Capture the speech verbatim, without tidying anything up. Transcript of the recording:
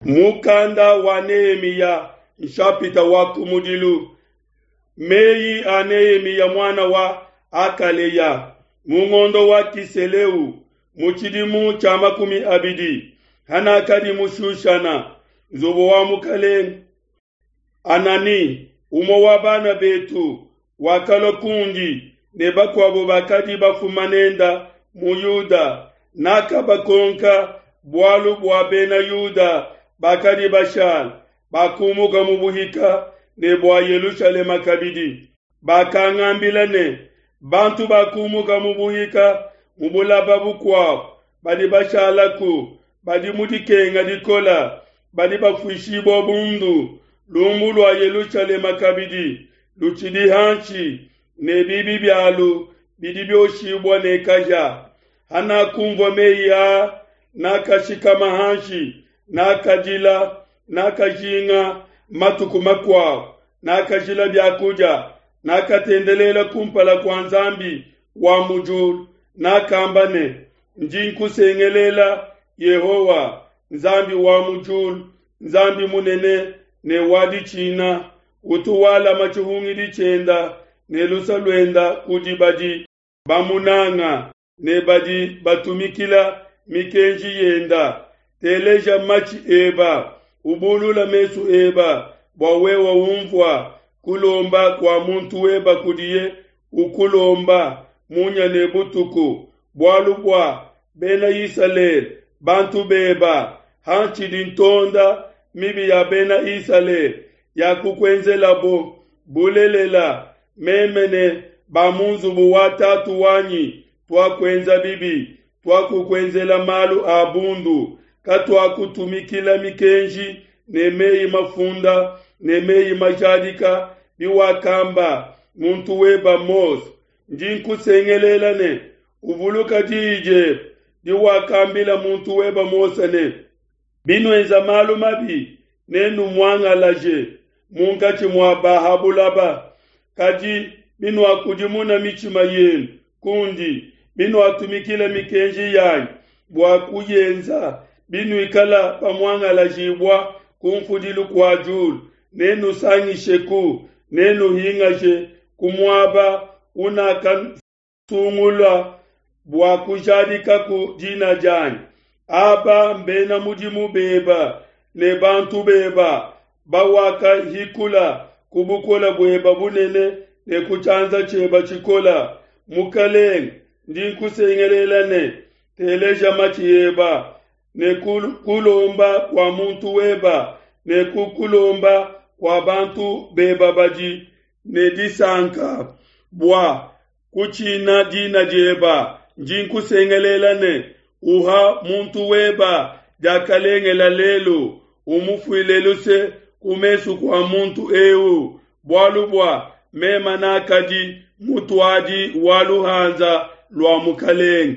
Mukanda wa Nehemiya nshapita wa kumudilu. Meyi a Nehemiya muana wa Hakaleya mu ngondo wa Kiseleu mu tshidimu tshia makumi abidi hanakadi mu Shushana, nzubu wa mukalenge. Hanani, umue wa bana betu, wakalua kundi ne bakuabo bakadi bafuma nenda mu Yuda. Nakabakonka bualu bua Bena Yuda bakadi bashala bakumuka mu buhika ne bua Yelushalema kabidi. Bakangambila ne, bantu bakumuka mu buhika mu bulaba bukuabo badi bashalaku badi mu dikenga dikola, badi bafuishibua bundu. Lumbu lua Yelushalema kabidi lutshidi hanshi, ne bibi bialu bidi bioshibua ne kahia. Hanakunvua meyi aa, nakashikama hanshi, nakadila, nakajinga matuku makuabo, nakajila bia kudia, nakatendelela kumpala kua Nzambi wa mu diulu. Nakamba ne, ndi nkusengelela Yehowa, Nzambi wa mu diulu, Nzambi munene ne wa ditshina, utu walama tshihungidi tshienda ne lusa luenda kudi badi bamunanga ne badi batumikila mikenji yenda. Teleja matshi eba, ubulula mesu eba, bua wewe umvua kulomba kua muntu weba kudiye ukulomba munya ne butuku, bualu bua Bena Isalele bantu beba. Hantshidi ntonda mibi ya Bena Isalele yakukuenzelabo, bulelela meme ne ba mu nzubu wa tatu wanyi tuakuenza bibi, tuakukuenzela malu a bundu, katuakutumikila mikenji ne meyi mafunda ne meyi majadika biwakamba muntu weba Mose. Ndi nkusengelela ne uvuluka diyi diebe diwakambila muntu weba Mose ne, binuenza malu mabi nenumuangalaje munkatshi mua ba ha bulaba. Kadi binuakudimuna mitshima yenu kundi, binuatumikila mikenji yanyi bua kuyenza, binuikala bamuangalajibua ku mfudilu kua diulu, nenusangisheku, nenuhingaje ku muaba unakasungula bua kujadikaku dina dianyi. Aba mbena mudimu beba ne bantu beba bawakahikula ku bukola bueba bunene ne ku tshianza tshieba tshikola. Mukalenge, ndi nkusengelela ne teleja matshi eba ne kulomba kua muntu weba ne kukulomba kua bantu beba badi ne disanka bua kutshina dina dieba. Ndi nkusengelela ne uha muntu weba diakalengela lelu, umufuile luse ku mesu kua muntu eu, bualu bua mema nakadi mutuadi wa luhanza lua mukalenge.